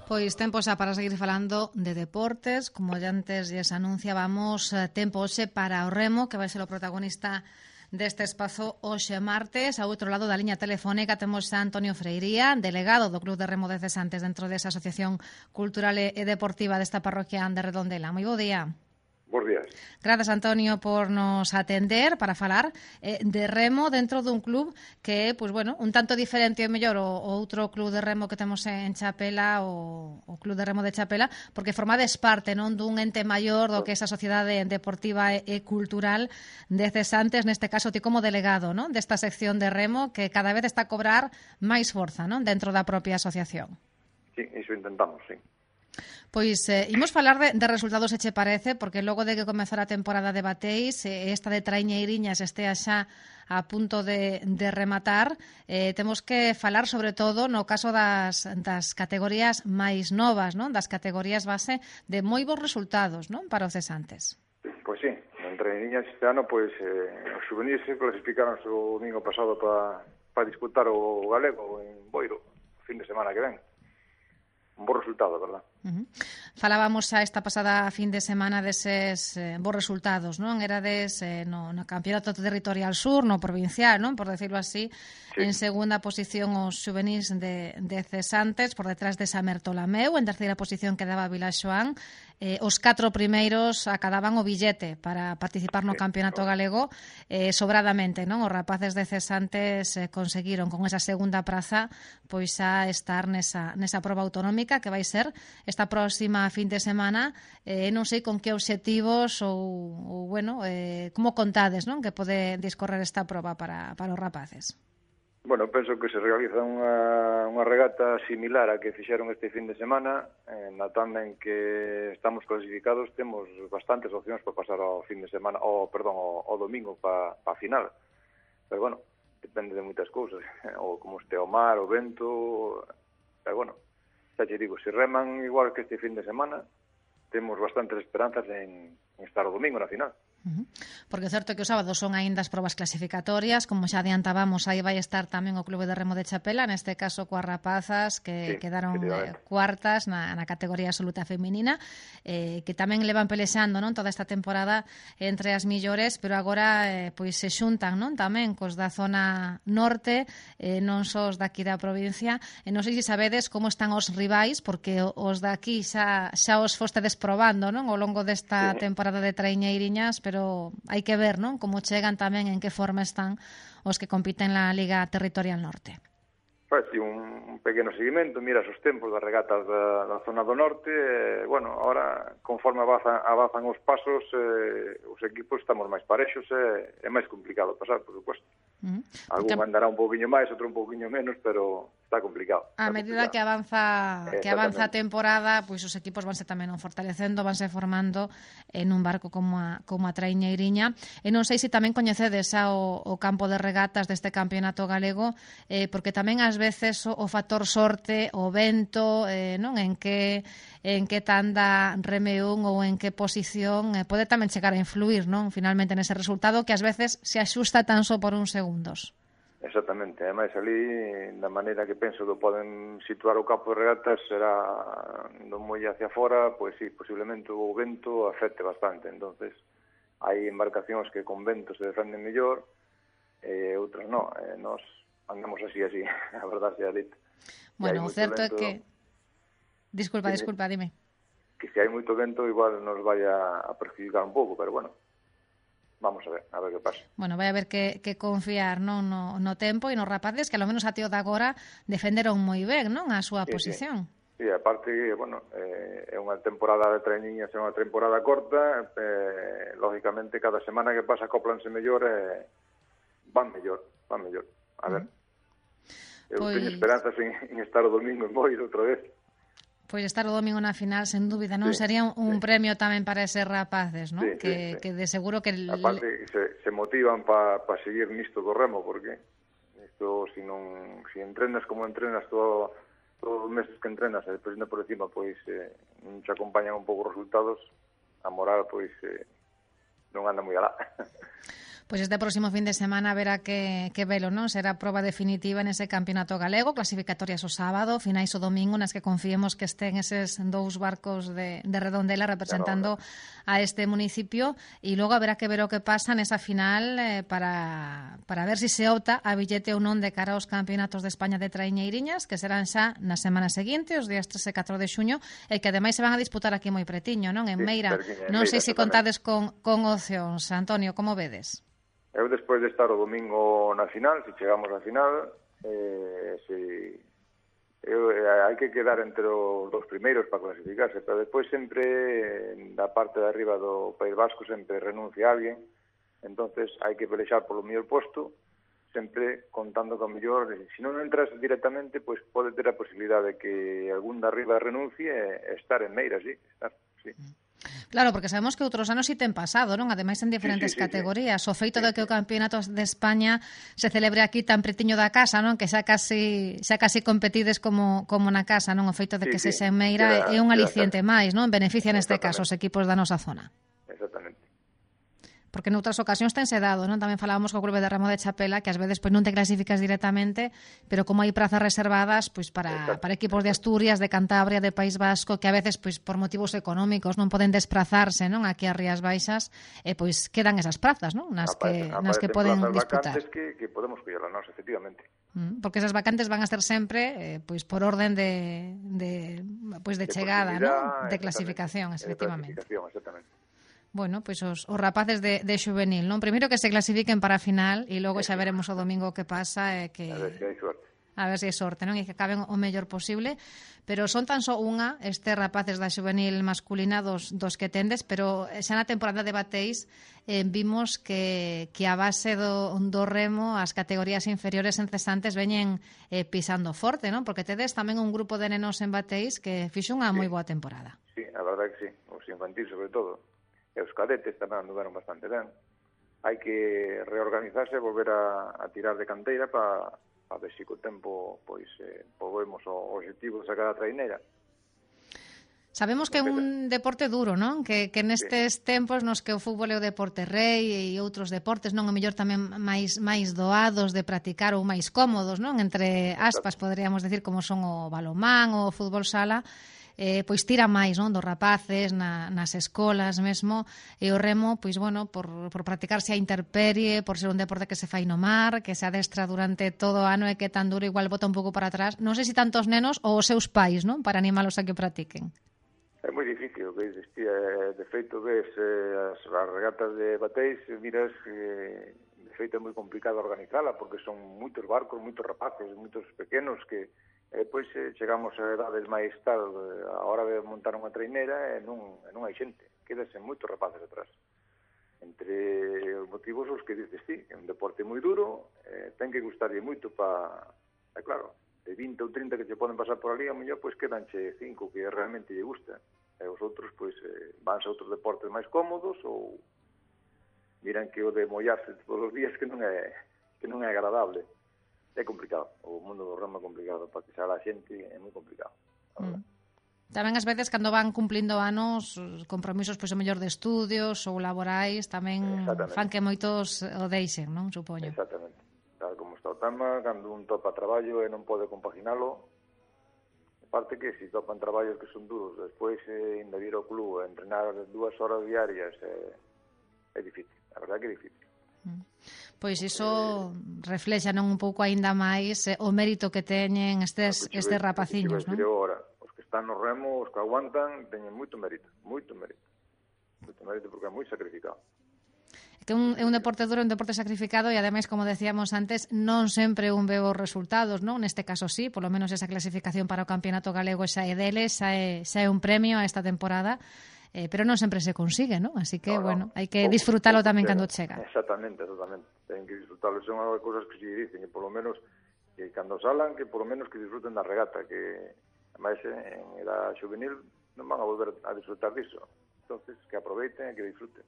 Pois tempo xa para seguir falando de deportes, como ya antes lles anunciábamos, tempo hoxe para o remo, que vai ser o protagonista deste espazo hoxe martes. Ao outro lado da liña telefónica temos a Antonio Freiría, delegado do Club de Remo de Cesantes dentro desa Asociación Cultural e Deportiva desta parroquia de Redondela. Moi bo día. Bos días. Grazas, Antonio, por nos atender para falar de remo dentro dun club que é, pois, bueno, un tanto diferente ao mellor o outro club de remo que temos en Chapela, o Club de Remo de Chapela, porque formades parte, non, dun ente maior do que é esa sociedade deportiva e cultural de Cesantes, neste caso ti como delegado, non, desta sección de remo que cada vez está a cobrar máis forza, non, dentro da propia asociación. Sí, iso intentamos, sí. Pois imos falar de resultados, se che parece, porque logo de que comezara a temporada de bateis, esta de traiñeiriñas estea xa a punto de rematar, temos que falar sobre todo no caso das categorías máis novas, non? Das categorías base de moi bons resultados, non? Para os cesantes. Pois sí, en traiñeiriñas este ano, pois os juvenis se clasificaron o domingo pasado para disputar o galego en Boiro, o fin de semana que ven. Un bo resultado, verdad? Falábamos xa esta pasada fin de semana deses bons resultados, non? Erades no Campeonato Territorial Sur, no provincial, non? Por decirlo así, sí. En segunda posición os xuvenís de Cesantes, por detrás de Samer Tolameu, en terceira posición quedaba Vilaxoán. Os 4 primeiros acadaban o billete para participar no Campeonato Galego sobradamente, non? Os rapaces de Cesantes conseguiron con esa segunda praza pois xa estar nesa proba autonómica que vai ser esta próxima fin de semana. Non sei con que obxectivos ou bueno, como contades, non? Que pode discorrer esta proba para os rapaces. Bueno, penso que se realiza unha regata similar a que fixeron este fin de semana. Na tanda en que estamos clasificados temos bastantes opcións para pasar ao fin de semana, ao domingo para a final. Pero bueno, depende de moitas cousas, ou como este o mar, o vento, pero bueno, xa te digo, se reman igual que este fin de semana, temos bastantes esperanzas en estar o domingo na final. Porque é certo que os sábados son aínda as probas clasificatorias, como xa adiantábamos, aí vai estar tamén o Clube de Remo de Chapela, neste caso coas rapazas que quedaron cuartas na categoría absoluta feminina, que tamén levan pelexando, non, toda esta temporada entre as millores, pero agora pois se xuntan, non, tamén cos da zona norte, non só os daqui da provincia, e non sei se sabedes como están os rivais, porque os daqui xa os fostedes probando, non, ao longo desta temporada de traiñeiriñas, pero hai que ver, non, como chegan tamén, en que forma están os que compiten na Liga Territorial Norte. Faz un pequeno seguimento, miras os tempos das regatas da zona do norte, bueno, ahora, conforme avanzan os pasos, os equipos estamos máis parexos, é máis complicado pasar, por suposto. Algún andará un pouquiño máis, outro un pouquiño menos, pero está complicado. A medida que avanza a temporada, pois os equipos vanse tamén fortalecendo, vanse formando en un barco como a traiñeiriña. E non sei se tamén coñecedes o campo de regatas deste campeonato galego, porque tamén ás veces o factor sorte, o vento, non, en que tanda reme un ou en que posición pode tamén chegar a influir, non, finalmente nese resultado que ás veces se axusta tan só por uns segundos. Exactamente, ademais ali, da maneira que penso que poden situar o campo de regatas, será do moi hacia fora, pois sí, posiblemente o vento afecte bastante, entonces hai embarcacións que con vento se defenden mellor, e outras non, nós andamos así, a verdade sea dita. Bueno, o certo é que... Disculpa, dime. Que se hai moito vento, igual nos vai a perjudicar un pouco, pero bueno, vamos a ver que pasa. Bueno, vai haber que confiar, non, no tempo e nos rapaces, que ao menos a tío de agora defenderon moi ben, non, a súa posición. Sí, aparte, bueno, é unha temporada de traiñiñas, é unha temporada corta, lógicamente cada semana que pasa acóplanse mellor e van mellor. A ver. Eu teño esperanzas en estar o domingo en Boiro outra vez. Pois estar o domingo na final, sen dúbida, non? Sería un premio tamén para eses rapaces, non? Que de seguro que... Aparte, se motivan para seguir nisto do remo, porque isto, si entrenas como entrenas todos os meses que entrenas, e depois por encima, pois, non te acompañan un pouco os resultados, a moral, pois, non anda moi alá. Pois este próximo fin de semana verá que velo, non? Será a proba definitiva nese campeonato galego, clasificatorias o sábado, finais o domingo, nas que confiemos que estén eses 2 barcos de Redondela representando a este municipio, e logo haberá que ver o que pasa nesa final para ver se se opta a billete ou non de cara aos campeonatos de España de traiñeiriñas, que serán xa na semana seguinte, os días 3 e 4 de xuño, e que ademais se van a disputar aquí moi pretiño, non? En Meira. Non sei se contades con opcións. Antonio, como vedes? Eu, despois de estar o domingo na final, se chegamos á final, hai que quedar entre os dos primeiros para clasificarse, pero despois sempre, da parte de arriba do País Vasco, sempre renuncia alguén, entonces hai que pelexar polo mellor posto, sempre contando con mellor, se non entras directamente, pois pode ter a posibilidade de que algún de arriba renuncie e estar en Meira, sí. Claro, porque sabemos que outros anos si ten pasado, non? Ademais en diferentes categorías. O feito de que o Campeonato de España se celebre aquí tan pretiño da casa, non? Que xa casi competides como na casa, non? O feito de que se xa en Meira é un aliciente máis, non? Beneficia neste caso os equipos da nosa zona. Exactamente. Porque noutras ocasións tense dado, non? Tamén falábamos co Clube de Remo de Chapela, que ás veces pois non te clasificas directamente, pero como hai prazas reservadas pois para equipos de Asturias, de Cantabria, de País Vasco, que a veces pois por motivos económicos non poden desplazarse, non? Aquí a Rías Baixas, pois quedan esas prazas, non? Nas que poden disputar. Que podemos collar a nós, efectivamente. Porque esas vacantes van a ser sempre pois por orden de chegada, non? De clasificación, efectivamente. Exactamente. Bueno, pois os rapaces de xuvenil, non? Primeiro que se clasifiquen para a final e logo xa veremos o domingo que pasa e que a ver se hai sorte. A ver se hai sorte, non? E que acaben o mellor posible, pero son tan só unha estes rapaces da xuvenil masculina dos que tendes, pero xa na temporada de Bateis vimos que a base do remo as categorías inferiores en cesantes veñen pisando forte, non? Porque tedes tamén un grupo de nenos en Bateis que fixo unha moi boa temporada. Sí, a verdade que sí, os infantil sobre todo. E os cadetes tamén anduveron bastante ben. Hai que reorganizarse e volver a tirar de canteira para ver se co tempo pois podemos o objetivo de sacar a traineira. Sabemos que é un deporte duro, non? Que nestes tempos nos que o fútbol é o deporte rei e outros deportes, non? O mellor tamén máis doados de practicar ou máis cómodos, non? Entre aspas, poderíamos decir, como son o balonmán ou o fútbol sala, pois tira máis, non? Dos rapaces nas escolas mesmo, e o remo, pois bueno, por practicarse a interperie, por ser un deporte que se fai no mar, que se adestra durante todo o ano e que tan duro igual bota un pouco para atrás. Non sei se tantos nenos ou os seus pais, non? Para animalos a que practiquen. É moi difícil, que de feito ves as regatas de Bateis, miras de feito é moi complicado organizala porque son moitos barcos, moitos rapaces, moitos pequenos que depois chegamos a edades máis tal a hora de montar unha traineira e non hai xente, quedase moitos rapaces atrás. Entre os motivos os que dices ti, é un deporte moi duro, ten que gustarlle moito é claro, de 20 ou 30 que se poden pasar por ali, a mellor pois quedanche 5 que realmente lle gusta, e os outros pois vanse a outros deportes máis cómodos ou miran que o de mollarse todos os días que non é agradable. É complicado, o mundo do remo é complicado, para que xa a xente é moi complicado. Tamén ás veces cando van cumplindo anos, compromisos pois o mellor de estudios ou laborais, tamén fan que moitos o deixen, non? Supoño. Exactamente. Tal como está o tema, cando un topa traballo e non pode compaginalo, aparte que se topan traballos que son duros, despois ainda vir ao club a entrenar 2 horas diarias, é difícil, a verdade que é difícil. Pois iso reflexa non un pouco aínda máis o mérito que teñen estes rapaciños, non? Os que están no remo, os que aguantan, teñen moito mérito porque é moi sacrificado. Que é un deporte duro, un deporte sacrificado e ademais, como decíamos antes, non sempre un veo os resultados, non? Neste caso sí, polo menos esa clasificación para o Campeonato Galego xa é deles, xa é un premio a esta temporada, pero non sempre se consigue, non? Así que, bueno, hai que disfrutalo tamén cando chega. Exactamente. Ten que disfrutalo. Son as cousas que se dicen, que polo menos, que cando salan, que polo menos que disfruten da regata, que ademais en edad juvenil non van a volver a disfrutar disso. Entonces, que aproveiten e que disfruten.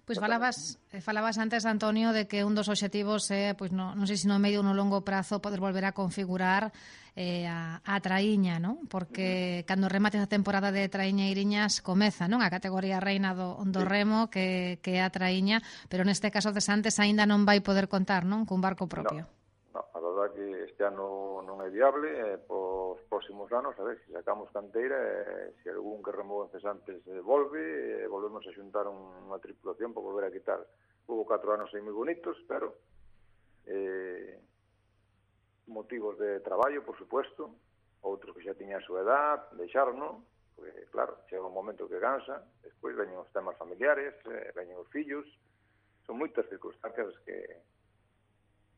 Pois falabas antes, Antonio, de que un dos obxectivos é, pois non sei se no medio ou no longo prazo, poder volver a configurar a traíña, non? Porque cando remate a temporada de traiñeiriñas comeza, non? A categoría reina do remo, que é a traíña, pero neste caso de Santes aínda non vai poder contar, non? Cun barco propio. No, a verdade que este ano non é viable, pos próximos anos, a ver, se sacamos canteira, se algún que remou en Cesantes volve, volvemos a xuntar unha tripulación para volver a quitar. Hubo 4 anos aí moi bonitos, pero motivos de traballo, por supuesto, outros que xa tiñan a súa edad, deixarnos, porque, claro, chega un momento que cansa, despois veñen os temas familiares, veñen os fillos, son moitas circunstancias que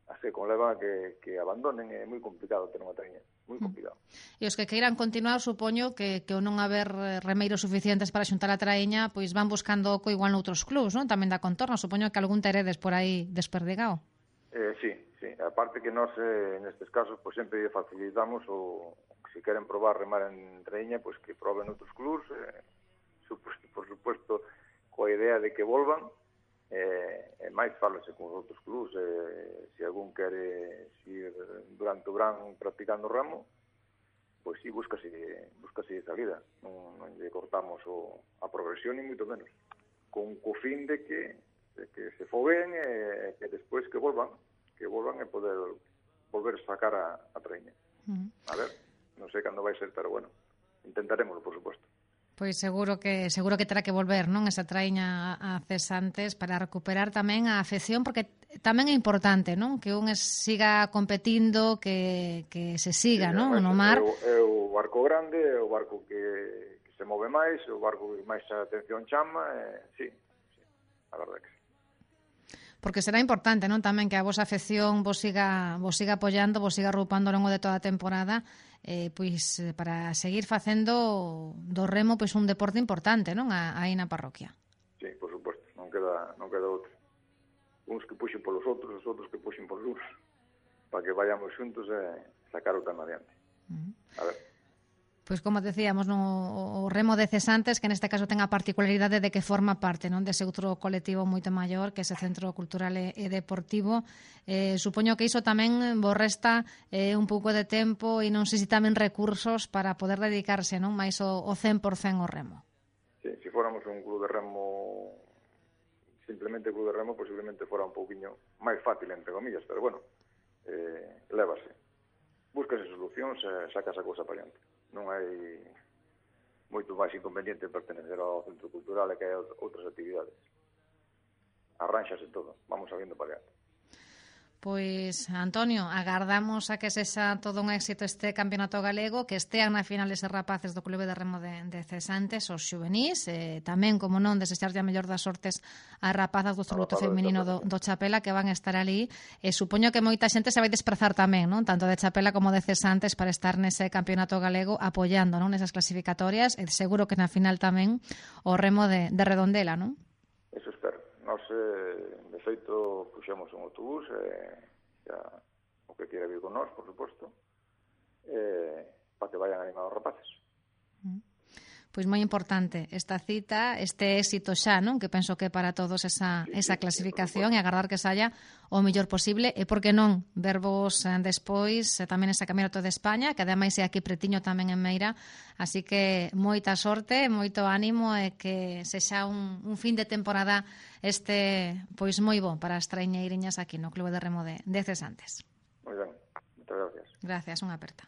así conleva que abandonen, é moi complicado ter unha traíña, moi complicado. E os que queiran continuar, supoño que o non haber remeiros suficientes para xuntar a traíña, pois van buscando oco igual noutros clubs, non? Tamén da contorna, supoño que algún teredes por aí desperdigado. Sí, aparte que nós nestes casos pois sempre facilitamos o se queren probar remar en traíña, pois que proben outros clubs, por supuesto, coa idea de que volvan. Máis falase con os outros clubs, se algún quere ir durante o verán practicando remo, pois si búscase salida, non lle cortamos a progresión ni moito menos, con co fin de que se foguen e que despois que volvan e poder volver a sacar a traíña. A ver, non sei cando vai ser, pero bueno, intentaremoslo, por suposto. Pois seguro que terá que volver, non? Esa traíña a Cesantes para recuperar tamén a afección, porque tamén é importante, non? Que un siga competindo, que se siga, non? No mar. É o barco grande, é o barco que se move máis, é o barco que máis a atención chama, sí, a verdade que sí. Porque será importante, non? Tamén que a vosa afección vos siga apoiando, vos siga arroupando ao longo de toda a temporada, pois para seguir facendo do remo pois un deporte importante, non? Aí na parroquia. Sí, por suposto, non queda outro. Uns que puxen polos outros, os outros que puxen polos uns, para que vayamos xuntos e sacar o tema adiante. A ver. Pois como decíamos, o remo de Cesantes, que neste caso ten a particularidade de que forma parte, non, dese outro colectivo moito maior, que é ese Centro Cultural e Deportivo. Supoño que iso tamén vos resta un pouco de tempo e non sei se tamén recursos para poder dedicarse, non, máis o 100% ao remo. Sí, se fóramos un club de remo, simplemente club de remo, posiblemente fora un pouquiño máis fácil, entre comillas, pero bueno, lévase. Búscase solucións e sacas a cousa para adiante. Non hai moito máis inconveniente pertenecer ao Centro Cultural e que hai outras actividades. Arránxase todo, vamos sabiendo para adiante. Pois, Antonio, agardamos a que sexa todo un éxito este campeonato galego, que estean na final eses rapaces do Clube de Remo de Cesantes, os xuvenís, tamén, como non, desexarlle a mellor das sortes ás rapazas do absoluto feminino do Chapela, que van estar ali, e supoño que moita xente se vai desprazar tamén, non? Tanto de Chapela como de Cesantes, para estar nese campeonato galego apoiando, non, nesas clasificatorias, e seguro que na final tamén o remo de Redondela, non? Eso espero. Nos, de feito, puxemos un autobús, xa o que quere vir con nós, por suposto, para que vayan animados os rapaces. Pois moi importante esta cita, este éxito xa, non? Que penso que para todos esa clasificación, e agardar que saia o mellor posible, e por que non vervos despois tamén ese Campeonato de España, que ademais é aquí pretiño tamén en Meira, así que moita sorte, moito ánimo, e que sexa un fin de temporada pois moi bo para as traiñeiriñas aquí no Clube de Remo de Cesantes. Moi ben, moitas gracias. Gracias, unha aperta.